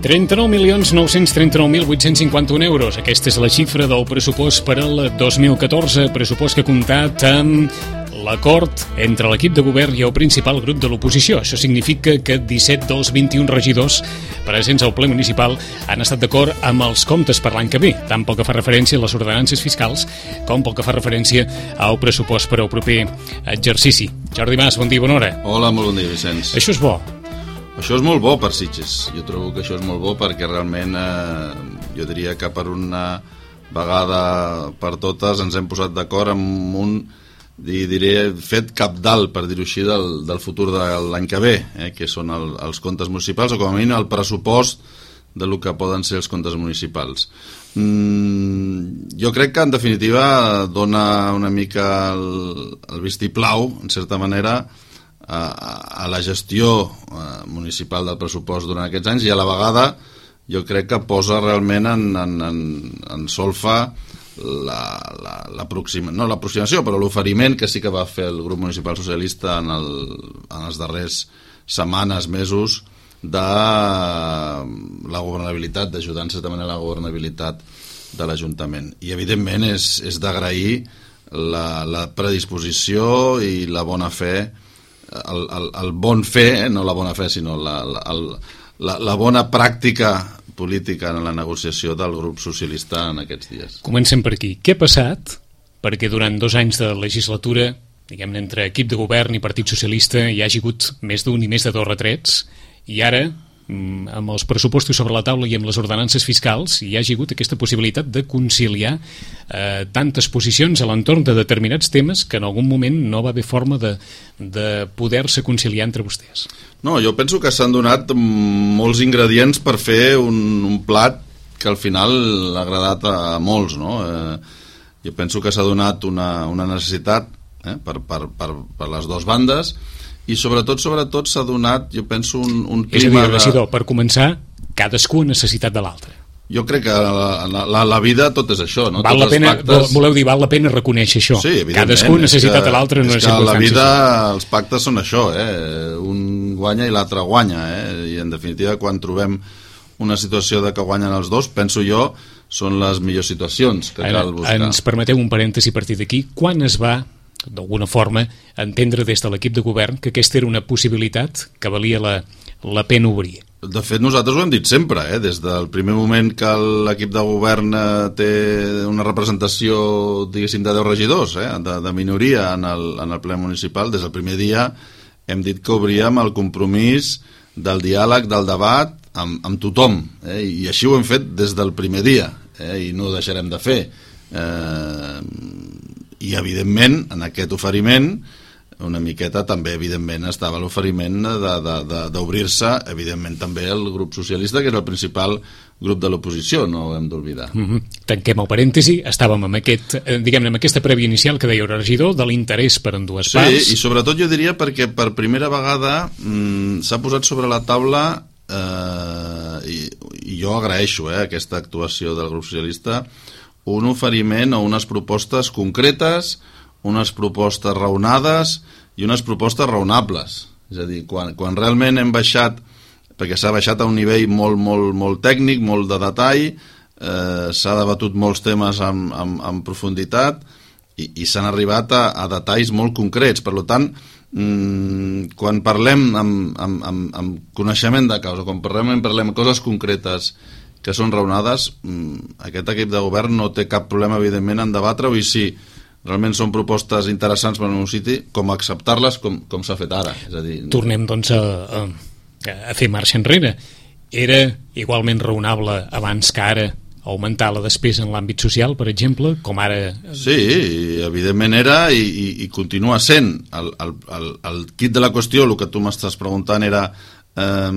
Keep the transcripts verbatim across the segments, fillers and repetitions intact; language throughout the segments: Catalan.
trenta-nou milions nou-cents trenta-nou mil vuit-cents cinquanta-un euros. Aquesta és la xifra del pressupost per al dos mil catorze, pressupost que ha comptat amb l'acord entre l'equip de govern i el principal grup de l'oposició. Això significa que disset dels vint-i-un regidors presents al ple municipal han estat d'acord amb els comptes per l'any que ve, tant pel que fa referència a les ordenances fiscals com pel que fa referència al pressupost per al proper exercici. Jordi Mas, bon dia, bona hora. Hola, molt bon dia, Vicenç. Això és bo. Això és molt bo per Sitges. Jo trobo que això és molt bo perquè realment eh, jo diria que per una vegada per totes ens hem posat d'acord amb un, diré, fet cabdal, per dir-ho així, del, del futur de l'any que ve, eh, que són el, els comptes municipals, o com a mínim el pressupost de lo que poden ser els comptes municipals. Mm, jo crec que en definitiva dona una mica el, el vistiplau, en certa manera, a la gestió municipal del pressupost durant aquests anys, i a la vegada jo crec que posa realment en, en, en, en solfa la, la, l'aproxima, no l'aproximació, però l'oferiment que sí que va fer el grup municipal socialista en, el, en els darrers setmanes, mesos, de la governabilitat, d'ajudar en certa manera la governabilitat de l'Ajuntament. I evidentment és, és d'agrair la, la predisposició i la bona fe, El, el, el bon fer, eh? No la bona fe, sinó la, la, la, la bona pràctica política en la negociació del grup socialista en aquests dies. Comencem per aquí. Què ha passat perquè durant dos anys de legislatura, diguem-ne, entre equip de govern i Partit Socialista, hi hagi hagut més d'un i més de dos retrets, i ara, amb els pressupostos sobre la taula i amb les ordenances fiscals, hi hagi hagut aquesta possibilitat de conciliar eh, tantes posicions a l'entorn de determinats temes que en algun moment no va haver forma de, de poder-se conciliar entre vostès? No, jo penso que s'han donat molts ingredients per fer un, un plat que al final ha agradat a molts, no? Eh, jo penso que s'ha donat una, una necessitat eh, per, per, per, per les dues bandes, i sobretot, sobretot s'ha donat, jo penso, un, un clima... És a dir, regidor, de... per començar, cadascú ha necessitat de l'altre. Jo crec que la, la, la vida tot és això, no? Val la pena, pactes... Voleu dir, val la pena reconèixer això. Sí, cadascú ha necessitat de l'altre en unes circumstàncies. És que la vida, els pactes són això, eh? Un guanya i l'altre guanya, eh? I en definitiva, quan trobem una situació de que guanyen els dos, penso jo, són les millors situacions que cal buscar. Ens permeteu un parèntesi a partir d'aquí. Quan es va, d'alguna forma, entendre des de l'equip de govern que aquesta era una possibilitat que valia la, la pena obrir? De fet, nosaltres ho hem dit sempre, eh? Des del primer moment que l'equip de govern eh, té una representació, diguéssim, de deu regidors, eh? de, de minoria en el, en el ple municipal, des del primer dia hem dit que obríem el compromís del diàleg, del debat amb, amb tothom, eh? I així ho hem fet des del primer dia, eh? I no ho deixarem de fer. Eh... I evidentment en aquest oferiment una miqueta també evidentment estava l'oferiment d'obrir-se evidentment també el grup socialista, que és el principal grup de l'oposició, no ho hem d'oblidar. Mm-hmm. Tanquem el parèntesi, estàvem amb, aquest, diguem-ne, amb aquesta prèvia inicial que deia el regidor, de l'interès per en dues sí, parts. Sí, i sobretot jo diria perquè per primera vegada mmm, s'ha posat sobre la taula eh, i, i jo agraeixo eh, aquesta actuació del grup socialista, un oferiment o unes propostes concretes, unes propostes raonades i unes propostes raonables. És a dir, quan, quan realment hem baixat, perquè s'ha baixat a un nivell molt, molt, molt tècnic, molt de detall, eh, s'ha debatut molts temes amb, amb, amb profunditat i, i s'han arribat a, a detalls molt concrets. Per tant, mmm, quan parlem amb, amb, amb, amb coneixement de causa, quan parlem, parlem coses concretes que són raonades, aquest equip de govern no té cap problema, evidentment, en debatre-ho, i si realment són propostes interessants per al meu sitio, com acceptar-les com, com s'ha fet ara. És a dir, tornem, doncs, a, a, a fer marxa enrere. Era igualment raonable abans que ara augmentar la despesa en l'àmbit social, per exemple, com ara... Sí, evidentment era i, i, i continua sent. El, el, el, el quid de la qüestió, el que tu m'estàs preguntant era, eh,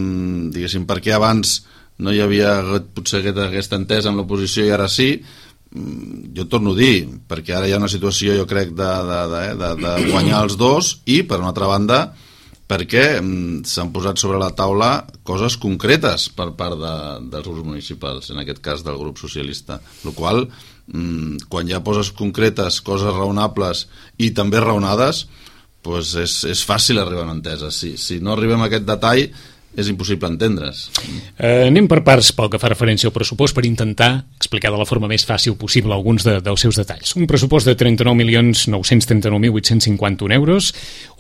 diguéssim, per què abans no hi havia potser aquesta entesa amb l'oposició i ara sí. Jo torno a dir, perquè ara hi ha una situació, jo crec, de, de, de, de, de guanyar els dos, i per una altra banda perquè s'han posat sobre la taula coses concretes per part de, dels grups municipals, en aquest cas del grup socialista, el qual quan hi ha coses concretes, coses raonables i també raonades, doncs és, és fàcil arribar a una entesa. Si, si no arribem a aquest detall és impossible entendre's. Eh, anem per parts pel que fa referència al pressupost per intentar explicar de la forma més fàcil possible alguns de, dels seus detalls. Un pressupost de trenta-nou milions nou-cents trenta-nou mil vuit-cents cinquanta-un euros,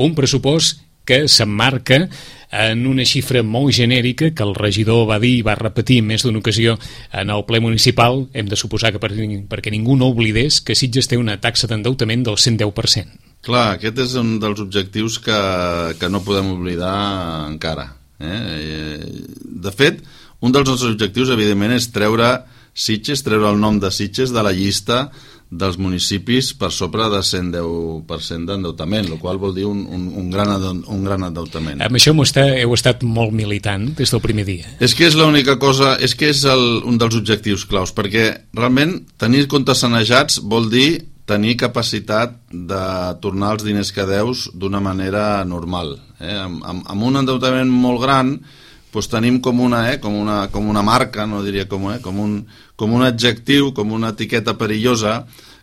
un pressupost que s'emmarca en una xifra molt genèrica que el regidor va dir i va repetir en més d'una ocasió en el ple municipal. Hem de suposar que per, perquè ningú no oblidés que Sitges té una taxa d'endeutament del cent deu per cent. Clar, aquest és un dels objectius que, que no podem oblidar encara. Eh? De fet, un dels nostres objectius evidentment és treure Sitges, treure el nom de Sitges de la llista dels municipis per sobre de cent deu per cent d'endeutament, el qual vol dir un, un, un, gran, un gran endeutament. Amb això està, heu estat molt militant des del primer dia. És que és l'única cosa, és que és el, un dels objectius claus, perquè realment tenir comptes sanejats vol dir tenir capacitat de tornar els diners que deus d'una manera normal. Eh? Amb, amb, amb un endeutament molt gran doncs tenim com una, eh, com una, com una marca, no diria com, eh, com, un, com un adjectiu, com una etiqueta perillosa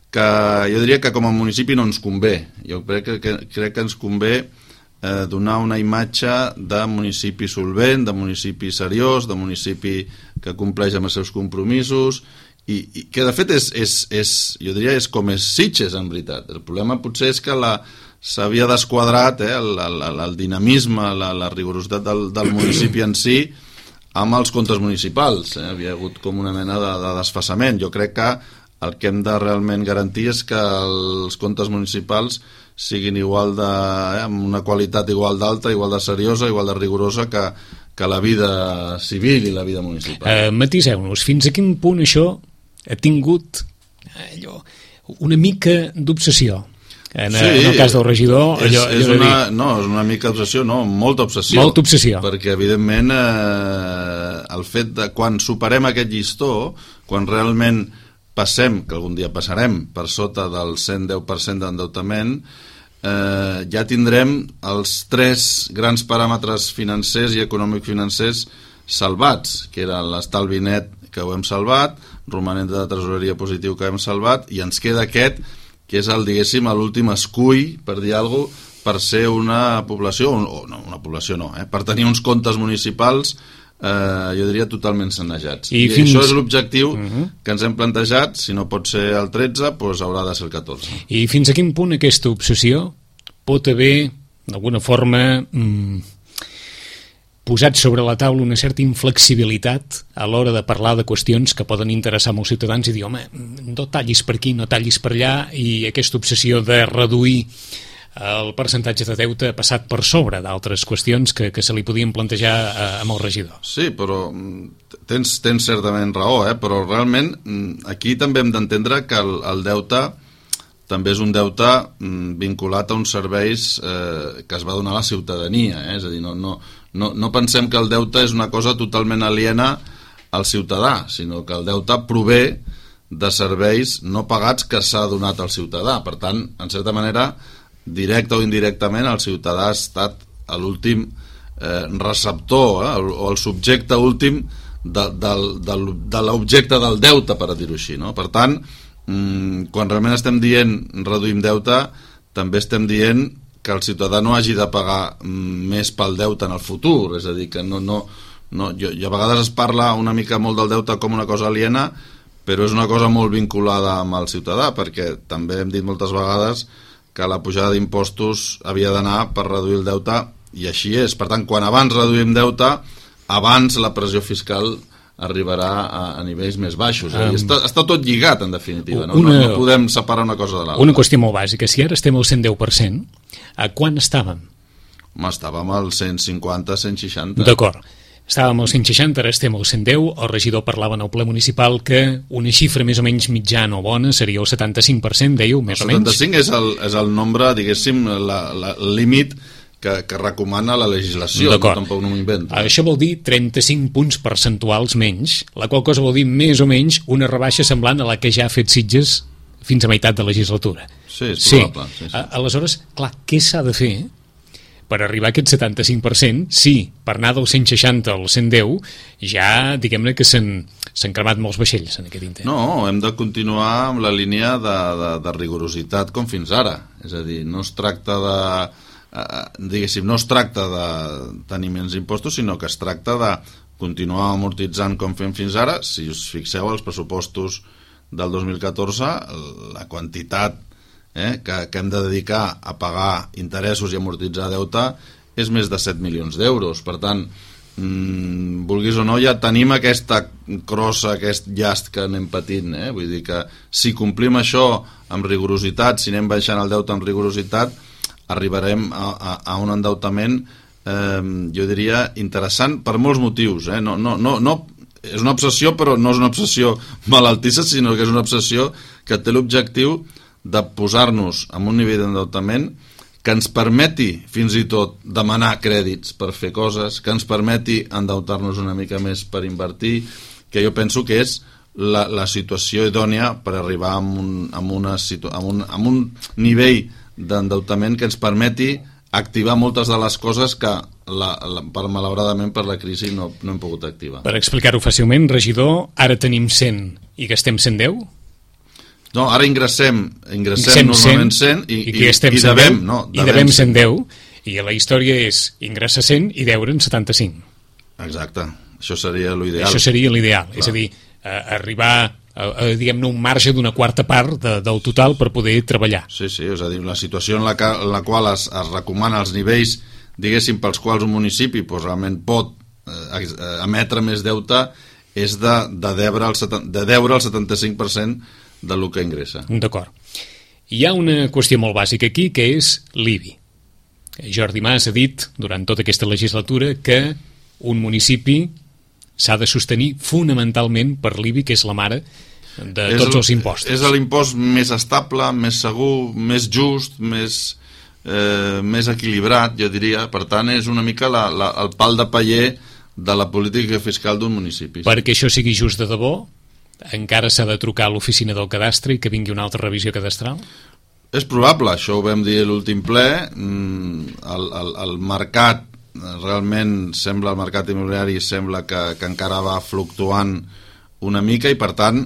que jo diria que com a municipi no ens convé. Jo crec que, que, crec que ens convé eh, donar una imatge de municipi solvent, de municipi seriós, de municipi que compleix amb els seus compromisos, i, i que de fet és, és, és, jo diria, és com és Sitges en veritat. El problema potser és que la, s'havia desquadrat eh, el, el, el dinamisme, la, la rigorositat del, del municipi en si amb els comptes municipals. Eh? Havia hagut com una mena de, de desfasament. Jo crec que el que hem de realment garantir és que els comptes municipals siguin igual de, eh, amb una qualitat igual d'alta, igual de seriosa, igual de rigorosa que, que la vida civil i la vida municipal. Eh, matiseu-nos, fins a quin punt això ha tingut allò, una mica d'obsessió? En, sí, en el cas del regidor, és, allò, allò és una, dir... no, és una mica obsessió, no, molta obsessió. Molta obsessió. Perquè, evidentment, eh, el fet de quan superem aquest llistó, quan realment passem, que algun dia passarem, per sota del cent deu per cent d'endeutament, eh, ja tindrem els tres grans paràmetres financers i econòmic-financers salvats, que era l'estalvi net, que ho hem salvat, romanent de tresoreria positiu que hem salvat, i ens queda aquest, que és el, diguéssim, l'últim escull, per dir alguna cosa, per ser una població, o no, una població no, eh, per tenir uns comptes municipals, eh, jo diria, totalment sanejats. I, I fins... això és l'objectiu uh-huh. que ens hem plantejat. Si no pot ser el tretze, doncs haurà de ser el catorze. I fins a quin punt aquesta obsessió pot haver, d'alguna forma... Mmm... posat sobre la taula una certa inflexibilitat a l'hora de parlar de qüestions que poden interessar molts ciutadans i dir, home, no tallis per aquí, no tallis per allà, i aquesta obsessió de reduir el percentatge de deute ha passat per sobre d'altres qüestions que, que se li podien plantejar a, amb el regidor. Sí, però tens, tens certament raó, eh? Però realment aquí també hem d'entendre que el, el deute també és un deute vinculat a uns serveis eh, que es va donar a la ciutadania, eh? És a dir, no, no, no, no pensem que el deute és una cosa totalment aliena al ciutadà, sinó que el deute prové de serveis no pagats que s'ha donat al ciutadà. Per tant, en certa manera, directe o indirectament, el ciutadà ha estat l'últim eh, receptor eh, o el subjecte últim de, de, de, de l'objecte del deute, per dir-ho així, no? Per tant, quan realment estem dient reduïm deute, també estem dient que el ciutadà no hagi de pagar més pel deute en el futur. És a dir, que no, no, no, jo, a vegades es parla una mica molt del deute com una cosa aliena, però és una cosa molt vinculada amb el ciutadà, perquè també hem dit moltes vegades que la pujada d'impostos havia d'anar per reduir el deute, i així és. Per tant, quan abans reduïm deute, abans la pressió fiscal arribarà a, a nivells més baixos. Um, està, està tot lligat, en definitiva. No, una, no, no podem separar una cosa de l'altra. Una qüestió molt bàsica. Si ara estem al cent deu per cent, a quan estàvem? Home, estàvem al cent cinquanta, cent seixanta. D'acord. Estàvem al cent seixanta, ara estem al cent deu. El regidor parlava en el ple municipal que una xifra més o menys mitjana o bona seria el setanta-cinc per cent, dèieu, més o menys? El setanta-cinc és el, és el nombre, diguéssim, la, la, el límit que, que recomana la legislació, no, tampoc no m'ho invento. Això vol dir trenta-cinc punts percentuals menys, la qual cosa vol dir més o menys una rebaixa semblant a la que ja ha fet Sitges fins a meitat de legislatura. Sí, és probable. Sí. Sí, sí. Aleshores, clar, què s'ha de fer per arribar a aquest setanta-cinc per cent? Sí, per anar del cent seixanta al cent deu ja, diguem-ne que s'han s'han cremat molts vaixells en aquest intent. No, hem de continuar amb la línia de, de, de rigorositat com fins ara. És a dir, no es tracta de... Eh, diguéssim, no es tracta de tenir menys impostos, sinó que es tracta de continuar amortitzant com fem fins ara. Si us fixeu, els pressupostos del dos mil catorze, la quantitat eh, que, que hem de dedicar a pagar interessos i amortitzar deute és més de set milions d'euros. Per tant, mmm, vulguis o no, ja tenim aquesta crossa, aquest llast que anem patint. Eh? Vull dir que si complim això amb rigorositat, si anem baixant el deute amb rigorositat, arribarem a, a, a un endeutament, eh, jo diria, interessant per molts motius. Eh? No, no, no, no, és una obsessió, però no és una obsessió malaltissa, sinó que és una obsessió que té l'objectiu de posar-nos en un nivell d'endeutament que ens permeti fins i tot demanar crèdits per fer coses, que ens permeti endeutar-nos una mica més per invertir, que jo penso que és la, la situació idònia per arribar a un, a una situ, a un, a un nivell d'endeutament que ens permeti activar moltes de les coses que la, la, per, malauradament per la crisi no, no hem pogut activar. Per explicar-ho fàcilment, regidor, ara tenim cent i gastem cent deu? No, ara ingressem, ingressem normalment cent i, i, i, i devem, no, devem, i devem cent deu, i la història és ingressar cent i deure'n setanta-cinc. Exacte, això seria l'ideal. Això seria l'ideal, és a dir, eh, arribar a, a, diguem-ne, un marge d'una quarta part de, del total per poder treballar. Sí, sí, és a dir, la situació en la, que, en la qual es, es recomana els nivells, diguéssim, pels quals un municipi pues, realment pot eh, emetre més deute és de, de, deure el, de deure el setanta-cinc per cent de lo que ingressa. D'acord. Hi ha una qüestió molt bàsica aquí, que és l'I B I. Jordi Mas ha dit durant tota aquesta legislatura que un municipi s'ha de sostenir fonamentalment per l'I B I, que és la mare de és tots el, els impostos. És l'impost més estable, més segur, més just, més, eh, més equilibrat, jo diria. Per tant, és una mica la, la, el pal de paller de la política fiscal d'un municipi. Perquè això sigui just de debò, encara s'ha de trucar a l'oficina del cadastre i que vingui una altra revisió cadastral? És probable, això ho vam dir a l'últim ple. El, el, el mercat, realment sembla, el mercat immobiliari sembla que, que encara va fluctuant una mica i per tant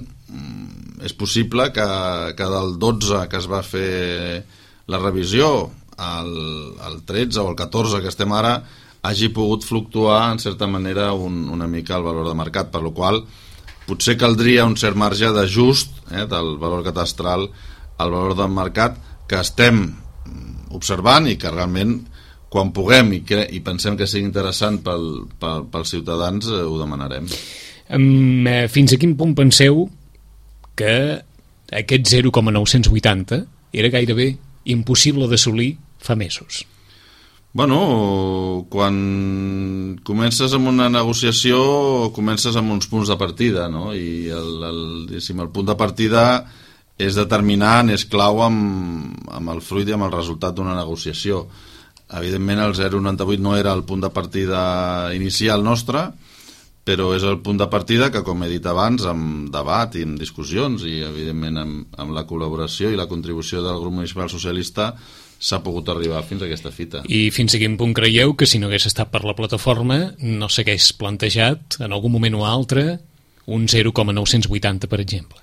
és possible que, que del dotze que es va fer la revisió al, al tretze o al catorze que estem ara hagi pogut fluctuar en certa manera un, una mica el valor de mercat, per la qual potser caldria un cert marge d'ajust eh, del valor catastral al valor del mercat que estem observant i que realment quan puguem i, que, i pensem que sigui interessant pel, pel, pels ciutadans eh, ho demanarem. Um, eh, fins a quin punt penseu que aquest zero coma nou-cents vuitanta era gairebé impossible d'assolir fa mesos? Bueno, quan comences amb una negociació comences amb uns punts de partida, no? I el, el, el punt de partida és determinant, és clau amb, amb el fruit i amb el resultat d'una negociació. Evidentment el zero coma noranta-vuit no era el punt de partida inicial nostre, però és el punt de partida que, com he dit abans, amb debat i amb discussions i evidentment amb, amb la col·laboració i la contribució del grup municipal socialista s'ha pogut arribar fins a aquesta fita. I fins a quin punt creieu que si no hagués estat per la plataforma no s'hagués plantejat en algun moment o altre un zero coma nou-cents vuitanta, per exemple?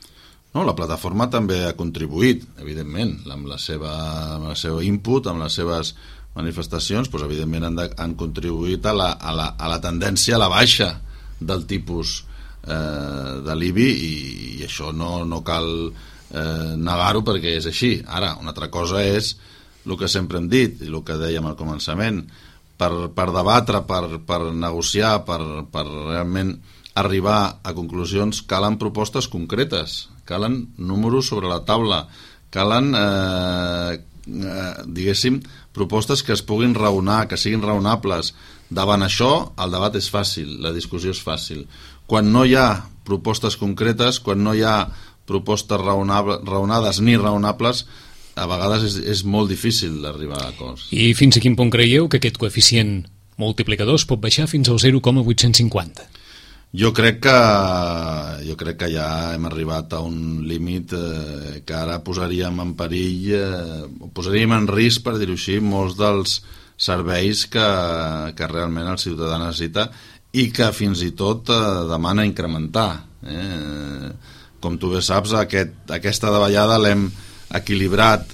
No, la plataforma també ha contribuït, evidentment, amb la seva, amb el seu input, amb les seves manifestacions, doncs, evidentment han, de, han contribuït a la, a, la, a la tendència a la baixa del tipus eh, de l'I B I i, i això no, no cal eh, negar-ho perquè és així. Ara, una altra cosa és el que sempre hem dit i el que dèiem al començament, per, per debatre, per, per negociar, per, per realment arribar a conclusions calen propostes concretes, calen números sobre la taula, calen eh, eh, diguéssim propostes que es puguin raonar, que siguin raonables. Davant això el debat és fàcil, la discussió és fàcil. Quan no hi ha propostes concretes, quan no hi ha propostes raonable, raonades ni raonables, a vegades és, és molt difícil arribar a acords. I fins a quin punt creieu que aquest coeficient multiplicador es pot baixar fins al zero coma vuit-cents cinquanta? Jo crec que jo crec que ja hem arribat a un límit eh, que ara posaríem en perill, eh, posaríem en risc, per dir-ho així, molts dels serveis que, que realment el ciutadà necessita i que fins i tot eh, demana incrementar. Eh? Com tu bé saps, aquest, aquesta davallada l'hem equilibrat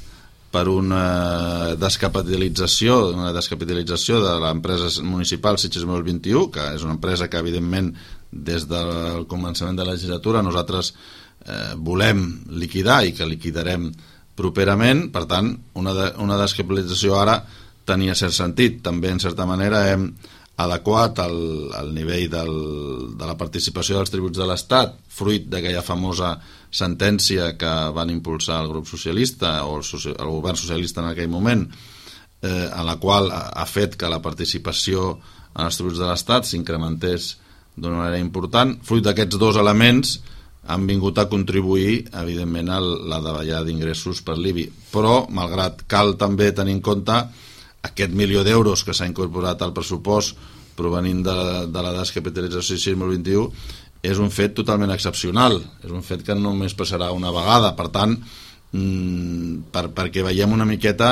per una descapitalització, una descapitalització de l'empresa municipal Sitges dos mil vint-i-u, que és una empresa que, evidentment, des del començament de la legislatura nosaltres eh, volem liquidar i que liquidarem properament. Per tant, una, de, una descapitalització ara tenia cert sentit. També, en certa manera, hem adequat el, el nivell del, de la participació dels tributs de l'Estat, fruit d'aquella famosa sentència que van impulsar el grup socialista o el, el govern socialista en aquell moment, eh, en la qual ha, ha fet que la participació en els tributs de l'Estat s'incrementés d'una manera important. Fruit d'aquests dos elements han vingut a contribuir, evidentment, a la davallada d'ingressos per l'I B I. Però, malgrat cal també tenir en compte aquest milió d'euros que s'ha incorporat al pressupost provenint de, de la descapitalització dos mil vint-i-u, és un fet totalment excepcional, és un fet que només passarà una vegada. Per tant, mmm, per, perquè veiem una miqueta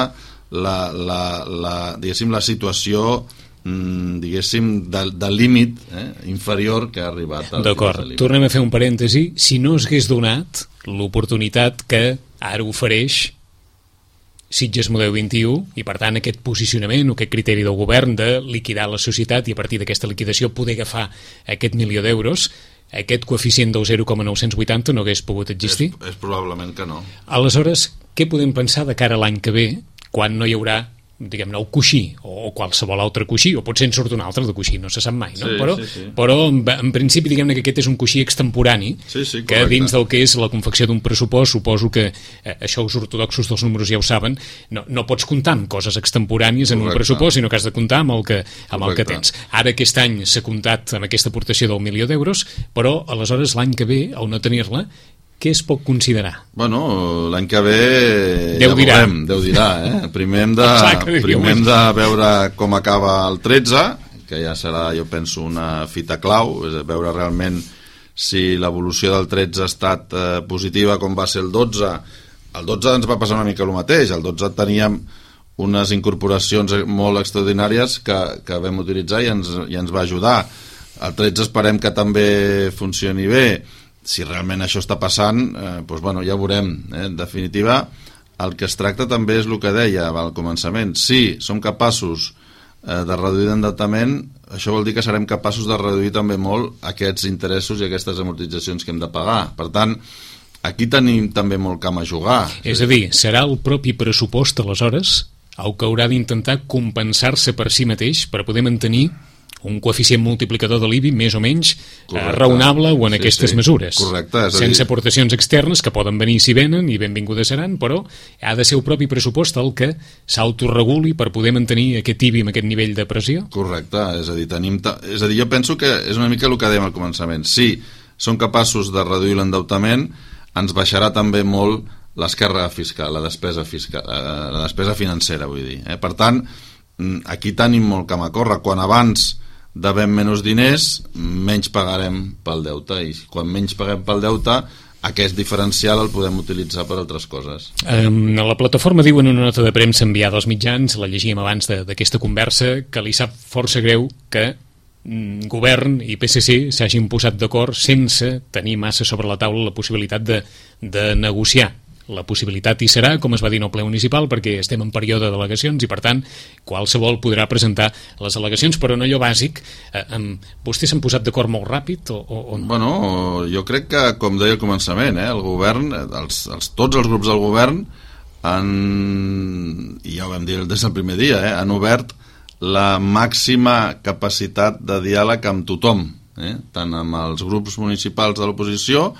la, la, la, diguéssim, la situació mmm, diguéssim, de, de límit eh, inferior que ha arribat. D'acord, tornem a fer un parèntesi. Si no s'hagués donat l'oportunitat que ara ofereix Sitges Model vint-i-u i, per tant, aquest posicionament o aquest criteri del govern de liquidar la societat i a partir d'aquesta liquidació poder agafar aquest milió d'euros, aquest coeficient del zero coma nou-cents vuitanta no hagués pogut existir? És, és probablement que no. Aleshores, què podem pensar de cara a l'any que ve, quan no hi haurà, diguem-ne, el coixí o qualsevol altre coixí, o potser en surt un altre de coixí, no se sap mai, no? Sí, però, sí, sí. però en, en principi diguem-ne que aquest és un coixí extemporani, sí, sí, que dins del que és la confecció d'un pressupost, suposo que eh, això els ortodoxos dels números ja ho saben, no, no pots comptar amb coses extemporànies en correcte. Un pressupost, sinó que has de comptar amb el que, amb el que tens. Ara aquest any s'ha comptat amb aquesta aportació del milió d'euros, però aleshores l'any que ve, al no tenir-la, què es pot considerar? Bueno, l'any que ve Déu ja dirà. veurem, Déu dirà, eh? Primer hem de, primer hem de veure com acaba el tretze, que ja serà, jo penso, una fita clau, és a veure realment si l'evolució del tretze ha estat eh, positiva com va ser el dotze. El dotze ens va passar una mica el mateix, el dotze teníem unes incorporacions molt extraordinàries que, que vam utilitzar i ens, i ens va ajudar. El tretze esperem que també funcioni bé. Si realment això està passant, eh, doncs, bueno, ja ho veurem. Eh? En definitiva, el que es tracta també és el que deia al començament. Si som capaços eh, de reduir l'endeutament, això vol dir que serem capaços de reduir també molt aquests interessos i aquestes amortitzacions que hem de pagar. Per tant, aquí tenim també molt camp a jugar. És a dir, serà el propi pressupost, aleshores, el que haurà d'intentar compensar-se per si mateix per poder mantenir un coeficient multiplicador de l'I B I més o menys eh, raonable o en sí, aquestes sí. mesures. Correcte, és a dir... sense aportacions externes que poden venir si venen i benvingudes seran, però ha de ser el propi pressupost el que s'autoreguli per poder mantenir aquest I B I amb aquest nivell de pressió? Correcte, és a dir, tenim ta... és a dir, jo penso que és una mica el que dèiem al començament. Si som capaços de reduir l'endeutament, ens baixarà també molt l'esquerra fiscal, la despesa fiscal, eh, la despesa financera, vull dir. Eh? Per tant, aquí tenim molt camp a córrer. Quan abans devem menys diners, menys pagarem pel deute, i quan menys paguem pel deute, aquest diferencial el podem utilitzar per altres coses. Um, a la plataforma diuen una nota de premsa enviada als mitjans, la llegíem abans d'aquesta conversa, que li sap força greu que mm, govern i P S C s'hagin posat d'acord sense tenir massa sobre la taula la possibilitat de, de negociar. La possibilitat hi serà, com es va dir en el ple municipal, perquè estem en període d'al·legacions i, per tant, qualsevol podrà presentar les al·legacions, però en allò bàsic, eh, amb... vostès s'han posat d'acord molt ràpid o, o, o no? Bueno, jo crec que, com deia al començament, eh, el govern, els, els, tots els grups del govern han, i ja ho vam dir des del primer dia, eh, han obert la màxima capacitat de diàleg amb tothom, eh, tant amb els grups municipals de l'oposició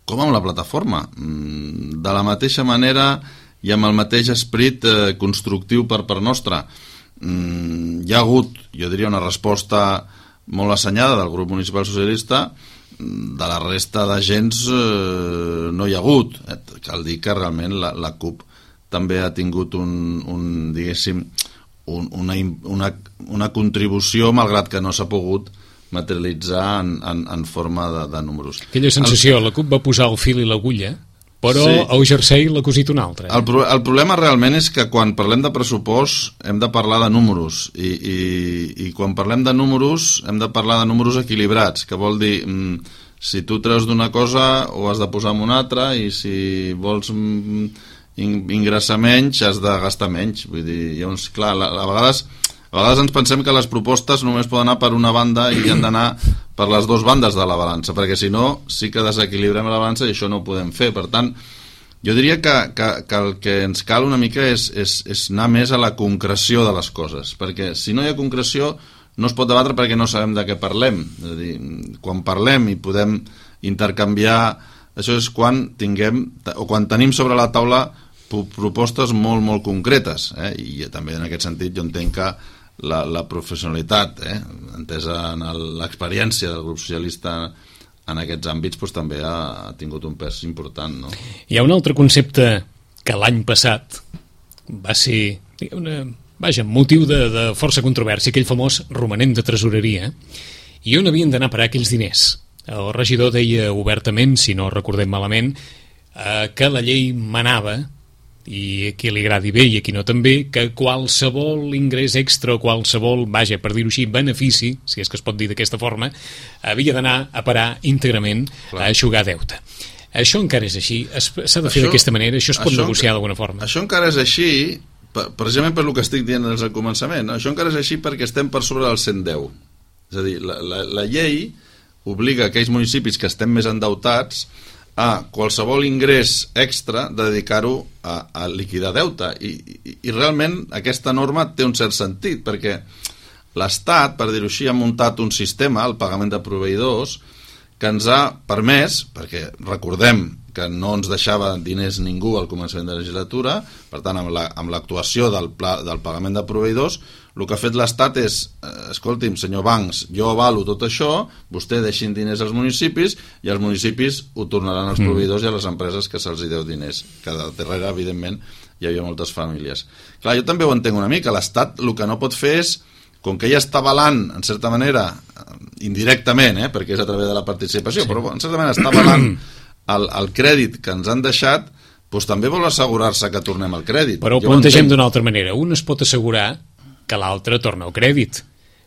com amb la plataforma, de la mateixa manera i amb el mateix esperit eh, constructiu per part nostra. Mm, hi ha hagut, jo diria, una resposta molt assenyada del grup municipal socialista, de la resta d'agents eh, no hi ha hagut. Eh, cal dir que realment la, la CUP també ha tingut un, un diguéssim, un, una, una, una contribució, malgrat que no s'ha pogut materialitzar en, en, en forma de, de números. Aquella sensació, el... la CUP va posar el fil i l'agulla, però sí. El jersei l'ha cosit un altre. Eh? El, pro, el problema realment és que quan parlem de pressupost hem de parlar de números i, i, i quan parlem de números hem de parlar de números equilibrats, que vol dir mm, si tu treus d'una cosa ho has de posar en una altra i si vols mm, ingressar menys has de gastar menys. Vull dir, llavors, clar, a, a vegades a vegades ens pensem que les propostes només poden anar per una banda i han d'anar per les dues bandes de la balança, perquè si no sí que desequilibrem la balança i això no ho podem fer. Per tant, jo diria que, que, que el que ens cal una mica és, és, és anar més a la concreció de les coses, perquè si no hi ha concreció no es pot debatre perquè no sabem de què parlem. És a dir, quan parlem i podem intercanviar, això és quan tinguem o quan tenim sobre la taula propostes molt, molt concretes, eh? I també en aquest sentit jo entenc que la, la professionalitat, eh? entesa en l'experiència del grup socialista en aquests àmbits, doncs, també ha, ha tingut un pes important, no? Hi ha un altre concepte que l'any passat va ser una, vaja, motiu de, de força controvèrsia, aquell famós romanent de tresoreria, i on havien d'anar a parar aquells diners. El regidor deia obertament, si no recordem malament, eh, que la llei manava, i a qui li agradi bé i a qui no també, que qualsevol ingrés extra o qualsevol, vaja, per dir-ho així, benefici, si és que es pot dir d'aquesta forma, havia d'anar a parar íntegrament Clar. a eixugar deute. Això encara és així? S'ha de fer d'aquesta manera? Això es pot això, negociar d'alguna forma? Això encara és així, precisament per el que estic dient des del començament. Això encara és així perquè estem per sobre del cent deu. És a dir, la, la, la llei obliga aquells municipis que estem més endeutats a qualsevol ingrés extra de dedicar-ho a, a liquidar deute I, i, i realment aquesta norma té un cert sentit perquè l'Estat, per dir-ho així, ha muntat un sistema, el pagament de proveïdors, que ens ha permès, perquè recordem que no ens deixava diners ningú al començament de la legislatura, per tant amb la, amb l'actuació del, pla, del pagament de proveïdors, el que ha fet l'Estat és, eh, escolti'm, senyor Bancs, jo avalo tot això, vostè deixin diners als municipis i els municipis ho tornaran als proveïdors i a les empreses que se'ls deu diners, que darrere, evidentment, hi havia moltes famílies. Clar, jo també ho entenc una mica, l'Estat el que no pot fer és, com que ja està avalant, en certa manera, indirectament, eh, perquè és a través de la participació, sí. però en certa manera està avalant el, el crèdit que ens han deixat, doncs també vol assegurar-se que tornem al crèdit. Però ho plantegem d'una altra manera. Un es pot assegurar que l'altre torna al crèdit,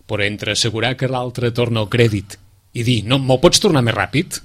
però entre assegurar que l'altre torna al crèdit i dir, no, me'l pots tornar més ràpid?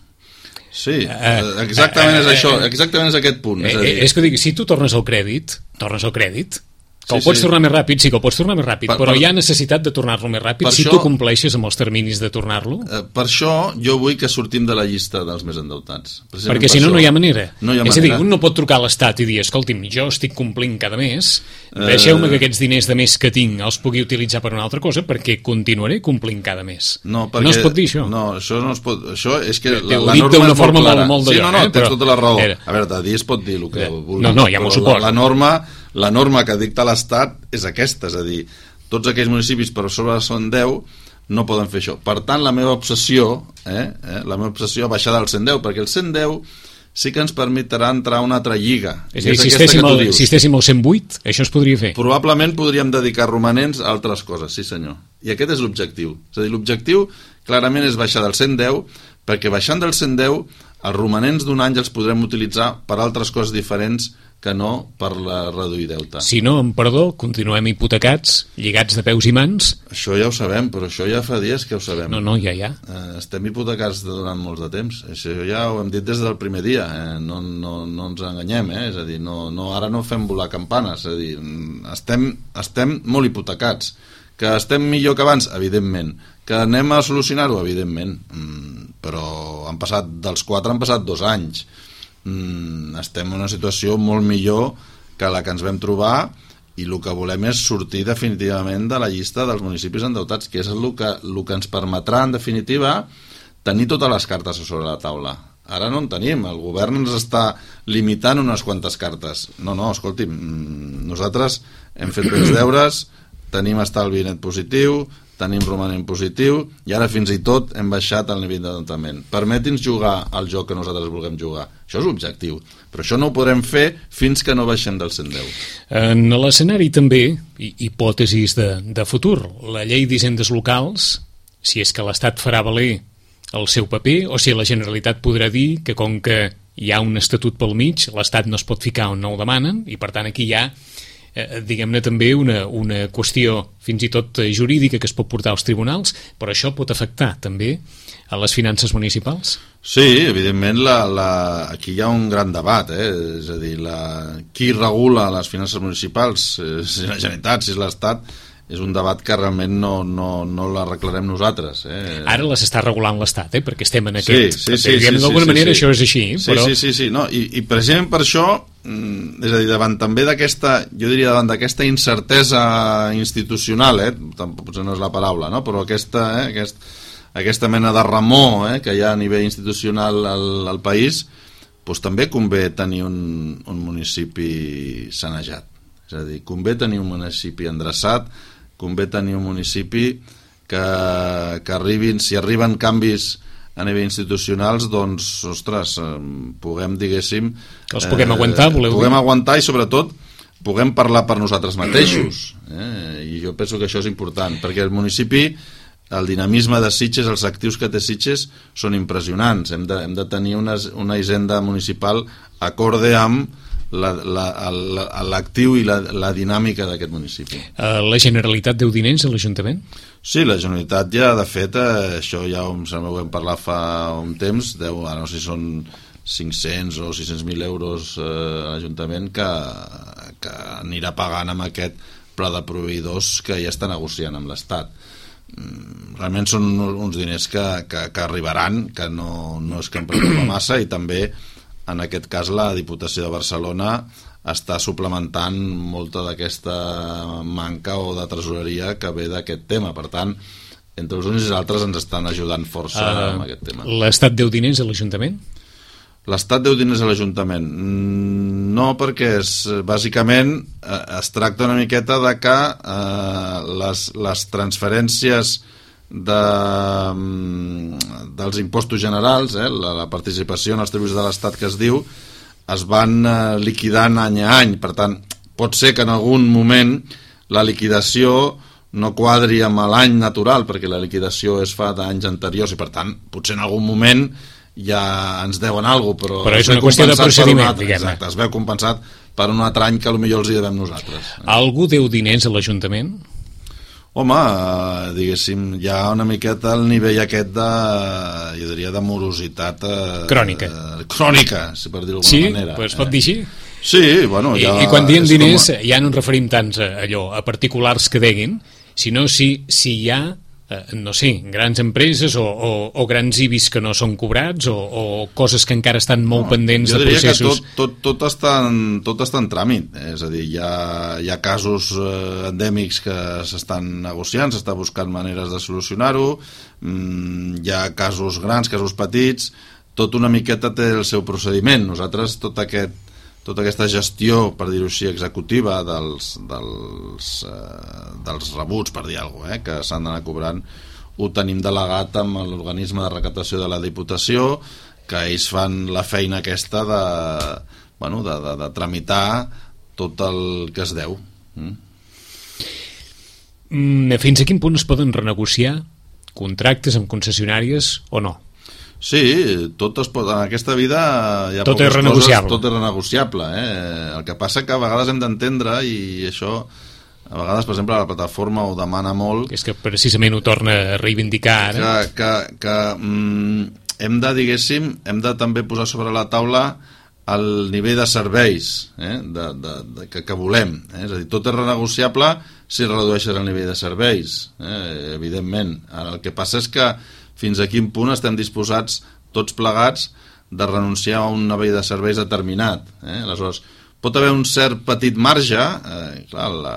Sí, exactament és això, exactament és aquest punt. És, a dir... és que dic, si tu tornes al crèdit, tornes al crèdit, que sí, el pots sí. tornar més ràpid, sí que el pots tornar més ràpid, per, però per, hi ha necessitat de tornar-lo més ràpid si això, tu compleixes amb els terminis de tornar-lo. Eh, per això jo vull que sortim de la llista dels més endeutats. Perquè si no, no hi ha manera. No hi ha és manera. a dir, un no pot trucar a l'Estat i dir, escolti'm, jo estic complint cada mes, eh... deixeu-me que aquests diners de més que tinc els pugui utilitzar per una altra cosa perquè continuaré complint cada mes. No, perquè, no es pot dir això. No, això no es pot... Això és que la, la norma és molt forma clara. Molt, molt sí, no, no, eh, tens però... tota la raó. Era... A veure, de dir es pot dir el que vulgui. No, no, ja m'ho suposo. La, la norma... La norma que dicta l'Estat és aquesta, és a dir, tots aquells municipis per sobre de cent deu no poden fer això. Per tant, la meva obsessió, eh, eh, la meva obsessió baixar del cent deu, perquè el cent deu sí que ens permetrà entrar a una altra lliga. És a dir, si estéssim, al, si estéssim al cent vuit, això es podria fer. Probablement podríem dedicar romanents a altres coses, sí senyor. I aquest és l'objectiu. És a dir, l'objectiu clarament és baixar del cent deu, perquè baixant del cent deu, els romanents d'un any els podrem utilitzar per altres coses diferents que no per la reduir deute. Si no, amb perdó, continuem hipotecats, lligats de peus i mans. Això ja ho sabem, però això ja fa dies que ho sabem. No, no, ja, ja. Eh, estem hipotecats durant molts de temps. Això ja ho hem dit des del primer dia. Eh? No, no, no ens enganyem, eh? És a dir, no, no, ara no fem volar campanes. És a dir, estem, estem molt hipotecats. Que estem millor que abans? Evidentment. Que anem a solucionar-ho? Evidentment. Mm, però han passat, dels quatre han passat dos anys. Mm, estem en una situació molt millor que la que ens vam trobar i el que volem és sortir definitivament de la llista dels municipis endeutats, que és el que, el que ens permetrà en definitiva tenir totes les cartes sobre la taula. Ara no en tenim, el govern ens està limitant unes quantes cartes. No, no, escolti'm, nosaltres hem fet bé els deures, tenim estalvi net positiu, tenim romanent positiu i ara fins i tot hem baixat el nivell d'endeutament. Permeti'ns jugar al joc que nosaltres vulguem jugar. Això és l'objectiu, però això no ho podrem fer fins que no baixem del cent deu. En l'escenari també, hipòtesis de, de futur, la llei d'hisendes locals, si és que l'Estat farà valer el seu paper, o si la Generalitat podrà dir que com que hi ha un estatut pel mig, l'Estat no es pot ficar on no el demanen, i per tant aquí hi ha eh, diguem-ne també una, una qüestió fins i tot jurídica que es pot portar als tribunals, però això pot afectar també a les finances municipals? Sí, evidentment la, la, aquí hi ha un gran debat, eh? És a dir, la, qui regula les finances municipals, eh, si la Generalitat, si és l'Estat, és un debat que realment no, no, no l'arreglarem nosaltres. Eh? Ara les està regulant l'Estat, eh? Perquè estem en aquest... Sí, sí, sí. sí d'alguna sí, manera sí, això és així. Sí, però... sí, sí, sí. No, i, i precisament per això, és a dir, davant també d'aquesta, jo diria davant d'aquesta incertesa institucional, eh? Tampoc potser no és la paraula, no? Però aquesta, eh? Aquest, aquesta mena de remor eh? que hi ha a nivell institucional al, al país, doncs també convé tenir un, un municipi sanejat. És a dir, convé tenir un municipi endreçat, convé tenir un municipi que, que arribin, si arriben canvis a nivell institucionals, doncs, ostres, puguem, diguéssim... Que els puguem eh, aguantar, voleu dir? Puguem aguantar i, sobretot, puguem parlar per nosaltres mateixos. Eh? I jo penso que això és important, perquè el municipi, el dinamisme de Sitges, els actius que té Sitges, són impressionants. Hem de, hem de tenir una, una hisenda municipal acorde amb l'actiu i la, la dinàmica d'aquest municipi. La Generalitat deu diners a l'Ajuntament? Sí, la Generalitat ja, de fet, eh, això ja ho hem parlat fa un temps, deu, ara no sé si són cinc-cents o sis-cents mil euros eh, a l'Ajuntament que, que anirà pagant amb aquest pla de proveïdors que ja està negociant amb l'Estat. Realment són uns diners que, que, que arribaran, que no, no és que em preocupa massa, i també en aquest cas la Diputació de Barcelona està suplementant molta d'aquesta manca o de tresoreria que ve d'aquest tema. Per tant, entre els uns i els altres ens estan ajudant força uh, amb aquest tema. L'Estat deu diners a l'Ajuntament? L'Estat deu diners a l'Ajuntament? No, perquè és, bàsicament eh, es tracta una miqueta de que eh, les, les transferències de, dels impostos generals, eh, la, la participació en els tributs de l'Estat que es diu, es van eh, liquidant any a any. Per tant, pot ser que en algun moment la liquidació no quadri amb l'any natural, perquè la liquidació es fa d'anys anteriors i, per tant, potser en algun moment ja ens deuen alguna cosa, però, però és una qüestió de procediment, diguem-ne. Exacte, es veu compensat per un altre any que potser els hi devem nosaltres. Algú deu diners a l'Ajuntament? Home, diguéssim, hi ha una miqueta el nivell aquest de, jo diria, de morositat eh, crònica. Eh, crònica, si per dir-ho d'alguna sí? manera. Sí? Es pot dir així? Sí, bueno... I, ja i quan diem diners com... ja no ens referim tants a allò, a particulars que deguin, sinó si, si hi ha, eh, no sé, grans empreses o, o, o grans I B Is que no són cobrats o, o coses que encara estan molt no, pendents de processos. Jo diria que tot, tot, tot, està en, tot està en tràmit, eh? És a dir, hi ha, hi ha casos eh, endèmics que s'estan negociant, s'està buscant maneres de solucionar-ho, mm, hi ha casos grans, casos petits, tot una miqueta té el seu procediment. Nosaltres tot aquest tota aquesta gestió, per dir-ho així, executiva dels, dels, eh, dels rebuts, per dir alguna cosa, eh, que s'han d'anar cobrant, ho tenim delegat amb l'organisme de recaptació de la Diputació, que ells fan la feina aquesta de, bueno, de, de, de tramitar tot el que es deu. Mm. Mm, fins a quin punt es poden renegociar contractes amb concessionàries o no? Sí, tot es pot, en aquesta vida hi ha tot poques és renegociable. Coses, tot és renegociable. Eh? El que passa que a vegades hem d'entendre, i això, a vegades, per exemple, la plataforma ho demana molt... És que precisament ho torna a reivindicar ara. Que, que, que mm, hem de, diguéssim, hem de també posar sobre la taula el nivell de serveis eh? de, de, de, que, que volem. Eh? És a dir, tot és renegociable si redueixes el nivell de serveis, eh? Evidentment. Ara, el que passa és que fins a quin punt estem disposats tots plegats de renunciar a un nivell de serveis determinat. Eh? Aleshores, pot haver un cert petit marge, eh, clar, la,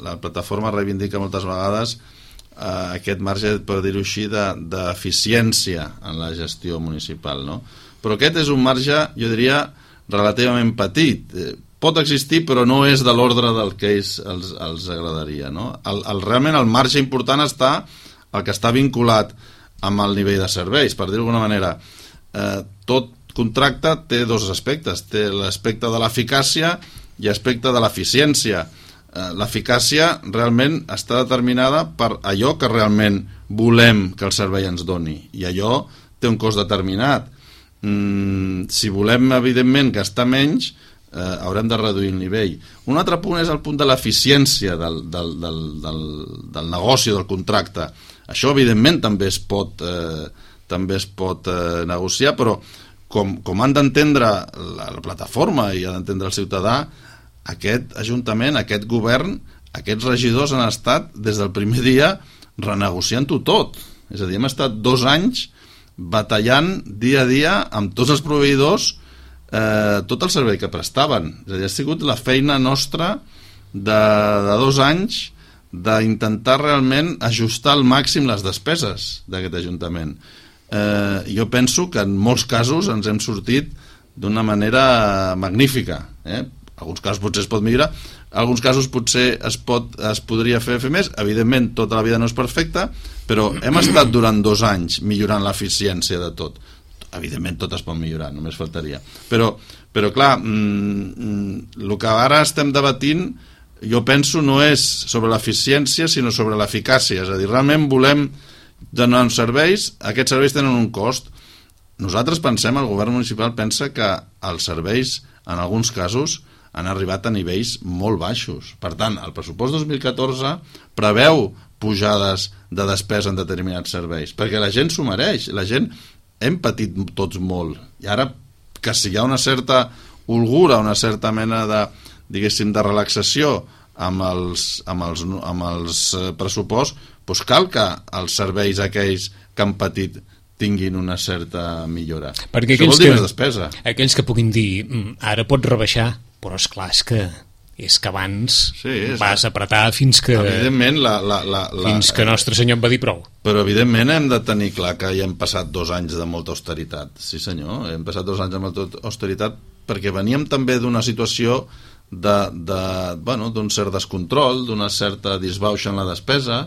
la plataforma reivindica moltes vegades eh, aquest marge, per dir-ho així, d'eficiència de, en la gestió municipal, no? Però aquest és un marge, jo diria, relativament petit. Eh, pot existir, però no és de l'ordre del que ells, els, els agradaria, no? El, el, realment el marge important està el que està vinculat amb el nivell de serveis, per dir d'alguna manera. Eh, tot contracte té dos aspectes, té l'aspecte de l'eficàcia i l'aspecte de l'eficiència. Eh, l'eficàcia realment està determinada per allò que realment volem que el servei ens doni, i allò té un cost determinat. Mm, si volem, evidentment, gastar menys, eh, haurem de reduir el nivell. Un altre punt és el punt de l'eficiència del, del, del, del, del negoci, del contracte. Això, evidentment, també es pot, eh, també es pot eh, negociar, però com, com han d'entendre la, la plataforma i ha d'entendre el ciutadà, aquest Ajuntament, aquest govern, aquests regidors han estat des del primer dia renegociant-ho tot. És a dir, hem estat dos anys batallant dia a dia amb tots els proveïdors eh, tot el servei que prestaven. És a dir, ha sigut la feina nostra de, de dos anys d'intentar realment ajustar al màxim les despeses d'aquest Ajuntament. Eh, jo penso que en molts casos ens hem sortit d'una manera magnífica. Eh? Alguns casos potser es pot millorar, alguns casos potser es, pot, es podria fer, fer més. Evidentment, tota la vida no és perfecta, però hem estat durant dos anys millorant l'eficiència de tot. Evidentment, tot es pot millorar, només faltaria. Però, però clar, mm, el que ara estem debatint, jo penso, no és sobre l'eficiència, sinó sobre l'eficàcia. És a dir, realment volem donar uns serveis, aquests serveis tenen un cost. Nosaltres pensem, el govern municipal pensa que els serveis, en alguns casos, han arribat a nivells molt baixos. Per tant, el pressupost dos mil catorze preveu pujades de despesa en determinats serveis, perquè la gent s'ho mereix. La gent hem patit tots molt. I ara, que si hi ha una certa holgura, una certa mena de, diguéssim, de relaxació amb els, amb els, amb els pressuposts, doncs cal que els serveis aquells que han patit tinguin una certa millora. Perquè això vol dir que, més despesa. Aquells que puguin dir, ara pots rebaixar, però esclar, és que és que abans sí, és vas apretar fins que evidentment la, la, la, la, fins que Nostre Senyor em va dir prou. Però evidentment hem de tenir clar que ja hem passat dos anys de molta austeritat. Sí senyor, hem passat dos anys de molta austeritat perquè veníem també d'una situació de, de, bueno, d'un cert descontrol, d'una certa disbauxa en la despesa,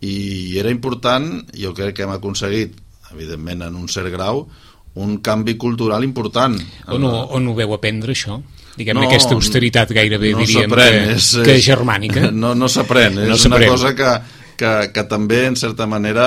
i era important, jo crec que hem aconseguit evidentment en un cert grau un canvi cultural important. On ho, on ho veu aprendre això? Diguem-ne, no, aquesta austeritat gairebé no diríem que, és, que és germànica. No, no s'aprèn, és no una cosa que, que, que també en certa manera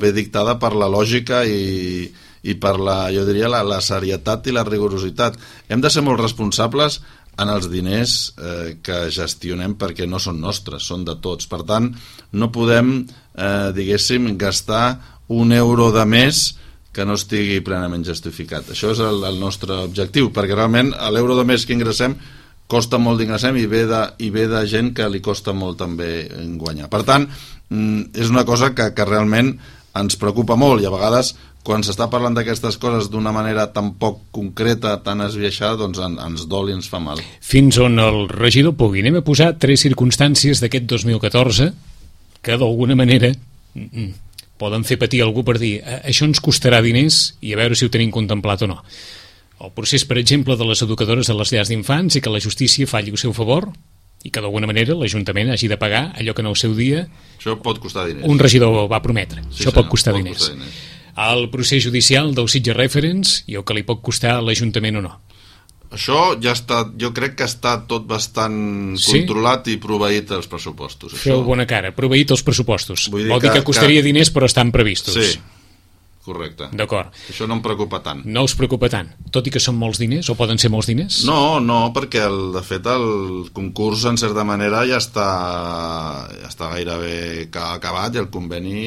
ve dictada per la lògica i, i per la, jo diria, la, la serietat i la rigorositat. Hem de ser molt responsables en els diners eh, que gestionem, perquè no són nostres, són de tots. Per tant, no podem, eh, diguéssim, gastar un euro de més que no estigui plenament justificat. Això és el, el nostre objectiu, perquè realment l'euro de més que ingressem costa molt d'ingressem i ve de, i ve de gent que li costa molt també guanyar. Per tant, és una cosa que, que realment ens preocupa molt, i a vegades quan s'està parlant d'aquestes coses d'una manera tan poc concreta, tan esbiaixada, doncs en, ens dol i ens fa mal. Fins on el regidor pugui. Anem a posar tres circumstàncies d'aquest dos mil catorze que d'alguna manera poden fer patir algú per dir això ens costarà diners i a veure si ho tenim contemplat o no. El procés, per exemple, de les educadores de les llars d'infants i que la justícia falli al seu favor i que d'alguna manera l'Ajuntament hagi de pagar allò que en el seu dia això pot costar diners. Un regidor va prometre. Sí, això pot costar, pot diners. costar diners. El procés judicial del Sitges Reference i el que li pot costar a l'Ajuntament o no. Això ja està, jo crec que està tot bastant sí? controlat i proveït als pressupostos. Feu això. Bona cara, proveït els pressupostos. Vull dir Vol dir que, que costaria que... diners però estan previstos. Sí, correcte. D'acord. Això no em preocupa tant. No us preocupa tant, tot i que són molts diners o poden ser molts diners? No, no, perquè el, de fet el concurs en certa manera ja està, ja està gairebé acabat i el conveni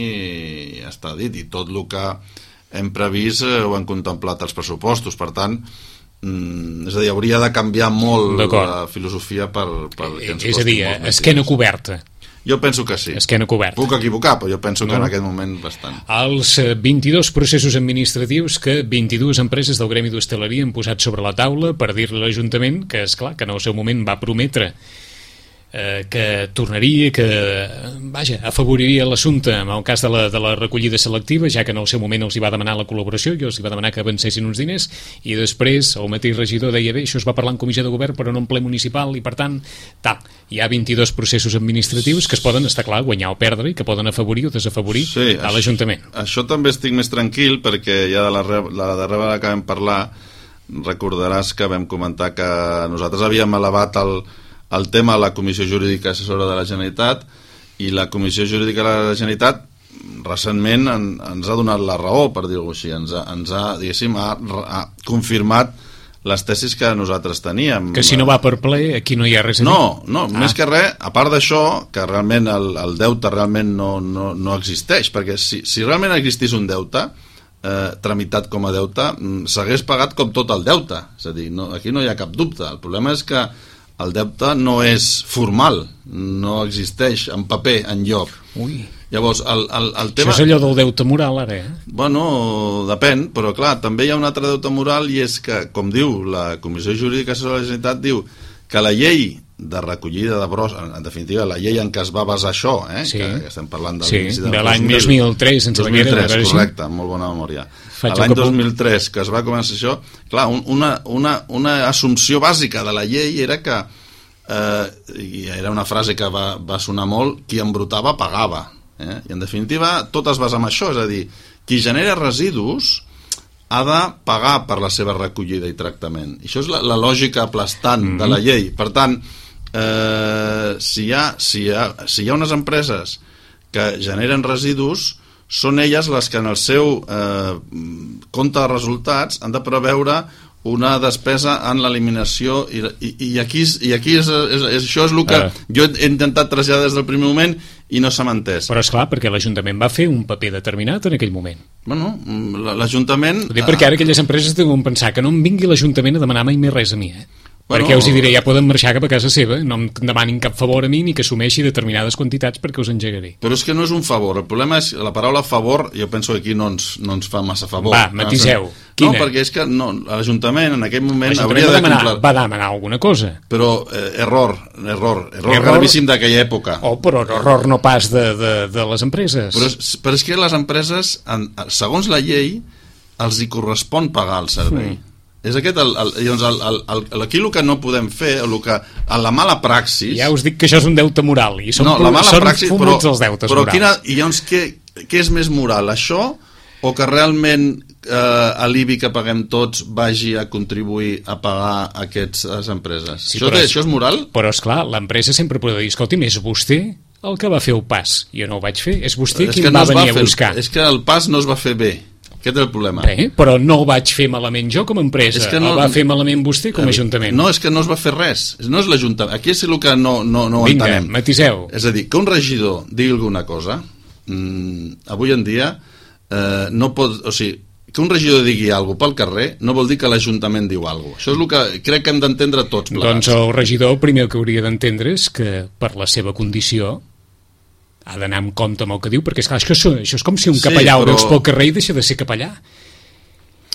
ja està dit i tot el que hem previst ho han contemplat els pressupostos, per tant Mm, és a dir, hauria de canviar molt la filosofia per, per que ens és a dir, esquena coberta. Jo penso que sí. Esquena coberta. Puc equivocar, però jo penso no. que en aquest moment bastant. Els vint-i-dos processos administratius que vint-i-dues empreses del Gremi d'Hostaleria han posat sobre la taula per dir-li a l'Ajuntament que, esclar, que en el seu moment va prometre eh, que tornaria, que vaja, afavoriria l'assumpte en el cas de la, de la recollida selectiva, ja que en el seu moment els hi va demanar la col·laboració i els hi va demanar que avancessin uns diners, i després el mateix regidor deia, bé, això es va parlar en comissió de govern però no en ple municipal, i per tant tal, hi ha vint-i-dos processos administratius que es poden, estar clar, guanyar o perdre i que poden afavorir o desafavorir sí, a l'Ajuntament. Això també estic més tranquil perquè ja de la, la darrera vegada que vam parlar recordaràs que vam comentar que nosaltres havíem elevat el, el tema a la Comissió Jurídica Assessora de la Generalitat, i la Comissió Jurídica de la Generalitat recentment en, ens ha donat la raó, per dir-ho així, ens ha, ens ha, diguéssim, ha, ha confirmat les tesis que nosaltres teníem. Que si no va per ple, aquí no hi ha res a dir. No, no, ah. més que res, a part d'això, que realment el, el deute realment no, no, no existeix, perquè si, si realment existís un deute, eh, tramitat com a deute, s'hagués pagat com tot el deute. És a dir, no, aquí no hi ha cap dubte. El problema és que el deute no és formal, no existeix en paper enlloc. Ui. Llavors, el, el, el tema... Això és allò del deute moral, ara, eh? Bueno, depèn, però clar, també hi ha un altre deute moral, i és que, com diu la Comissió Jurídica de la Generalitat, diu que la llei de recollida de bros, en definitiva, la llei en què es va basar això, eh? Sí. que, que estem parlant del sí, del de l'any dos mil tres, sense dos mil tres, correcte, amb molt bona memòria. L'any dos mil tres, que es va començar això, clar, un, una, una, una assumpció bàsica de la llei era que, eh, i era una frase que va, va sonar molt, qui embrutava pagava. Eh? I en definitiva tot es basa en això, és a dir, qui genera residus ha de pagar per la seva recollida i tractament, i això és la, la lògica aplastant mm-hmm. de la llei. Per tant, eh, si, hi ha, si, hi ha, si hi ha unes empreses que generen residus, són elles les que en el seu eh, compte de resultats han de preveure una despesa en l'eliminació, i, i, i aquí, i aquí és, és, és, això és el que uh. jo he intentat traslladar des del primer moment i no s'ha entès. Però és clar, perquè l'Ajuntament va fer un paper determinat en aquell moment. Bueno, l'Ajuntament... Ho dic perquè ara aquelles empreses deuen pensar que no em vingui l'Ajuntament a demanar mai més res a mi, eh? Bueno, perquè us hi diré, ja poden marxar cap a casa seva, no em demanin cap favor a mi ni que assumeixi determinades quantitats perquè us engegaré. Però és que no és un favor, el problema és la paraula favor, jo penso que aquí no ens, no ens fa massa favor. Va, matiseu. No, perquè és que no, l'Ajuntament en aquell moment hauria de demanar, complir... va demanar alguna cosa. Però eh, error, error, error, error gravíssim d'aquella època. Oh, però error no pas de, de, de les empreses. Però és, però és que les empreses, en, segons la llei, els hi correspon pagar el servei. Mm. És aquest el, el, doncs el, el, el, aquí el que no podem fer, el que, a la mala praxis... Ja us dic que això és un deute moral, i són, no, la mala són praxis, fumuts però, els deutes però morals. Quina, i llavors què, què és més moral, això o que realment eh, l'I B I que paguem tots vagi a contribuir a pagar aquestes empreses? Sí, això, té, això és moral? Però esclar, l'empresa sempre pot dir, escolti'm, és vostè el que va fer el pas, jo no ho vaig fer, és vostè és qui em no va venir va a buscar. És que el pas no es va fer bé. Aquest és el problema. Bé, però no ho vaig fer malament jo com a empresa, és que no, el va fer malament vostè com a ajuntament. No, és que no es va fer res, no és l'Ajuntament. Aquí és el que no, no, no ho Vinga, entenem. matiseu. És a dir, que un regidor digui alguna cosa, mmm, avui en dia eh, no pot... O sigui, que un regidor digui alguna cosa pel carrer no vol dir que l'Ajuntament diu alguna cosa. Això és el que crec que hem d'entendre tots plegats. Doncs el regidor el primer que hauria d'entendre és que per la seva condició ha d'anar amb compte amb el que diu, perquè esclar, això, això és com si un capellà sí, però... ho veus pel carrer i deixa de ser capellà.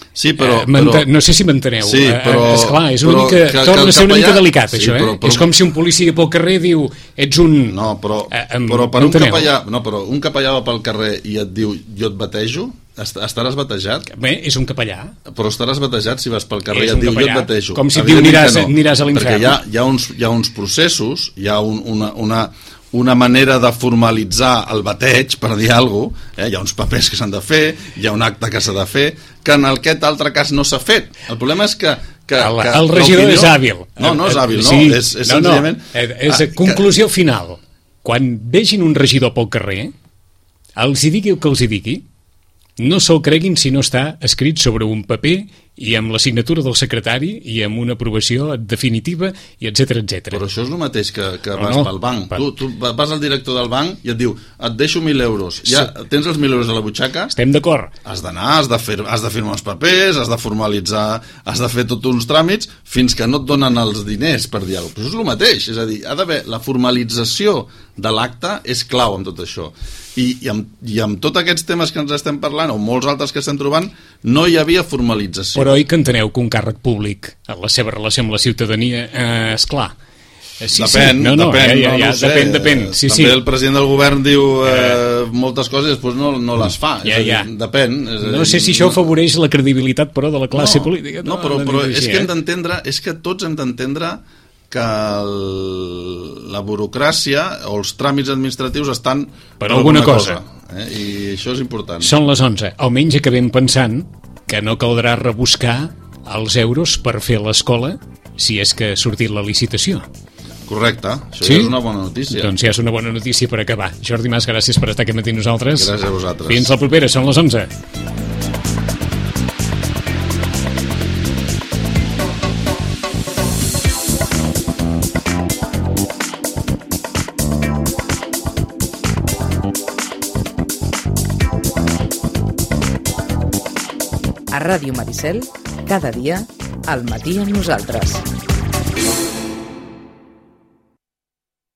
Sí, però... Eh, però... No sé si m'enteneu. Sí, però... Eh, esclar, és una mica... Que, torna que a ser una capellà... mica delicat, sí, això, eh? Però, però... És com si un policia pel carrer diu ets un... No, però, eh, em... però per un capellà... No, però un capellà va pel carrer i et diu jo et batejo, estaràs batejat? Bé, és un capellà. Però estaràs batejat si vas pel carrer i et diu capellà. Jo et batejo. Com si et diu aniràs, no, aniràs a l'infern. Perquè hi ha, hi, ha uns, hi ha uns processos, hi ha un, una... una una manera de formalitzar el bateig, per dir alguna cosa, eh? Hi ha uns papers que s'han de fer, hi ha un acte que s'ha de fer, que en aquest altre cas no s'ha fet. El problema és que... que, el, que el regidor és hàbil. No, no és hàbil, no. Sí, és, és no, senzillament... no. És conclusió que... final. Quan vegin un regidor pel carrer, els hi digui el que els hi digui, no se'l creguin si no està escrit sobre un paper i amb la signatura del secretari i amb una aprovació definitiva i etcètera, etcètera. Però això és el mateix que, que vas no, pel banc. per... Tu, tu vas al director del banc i et diu et deixo mil euros. Ja sí. Tens els mil euros a la butxaca? Estem d'acord. Has d'anar, has, de fer, has de firmar els papers, has de formalitzar, has de fer tots uns tràmits fins que no et donen els diners, per dir alguna cosa. Però això és el mateix. És a dir, ha d'haver la formalització de l'acte és clau amb tot això. I, i, amb, i amb tots aquests temes que ens estem parlant, o molts altres que estem trobant, no hi havia formalització. Però oi que enteneu que un càrrec públic, en la seva relació amb la ciutadania, eh, esclar, Sí, depèn, sí. No, no, depèn, ja, ja, ja, no, no sé. depèn, depèn. Sí, També sí. el president del govern diu eh, moltes coses i després no, no les fa. Ja, és a dir, ja. Depèn. És a dir, No sé si això afavoreix la credibilitat, però, de la classe no, política. No, però, no però dic és així, que hem eh? d'entendre, és que tots hem d'entendre que el, la burocràcia o els tràmits administratius estan per alguna cosa. cosa eh? I això és important. Són les onze. Almenys acabem pensant que no caldrà rebuscar els euros per fer l'escola si és que ha sortit la licitació. Correcte, això Sí? ja és una bona notícia. Doncs ja és una bona notícia per acabar. Jordi Mas, gràcies per estar aquí matí amb nosaltres. Gràcies a vosaltres. Fins la propera, són les onze. A Ràdio Maricel, cada dia, al matí amb nosaltres.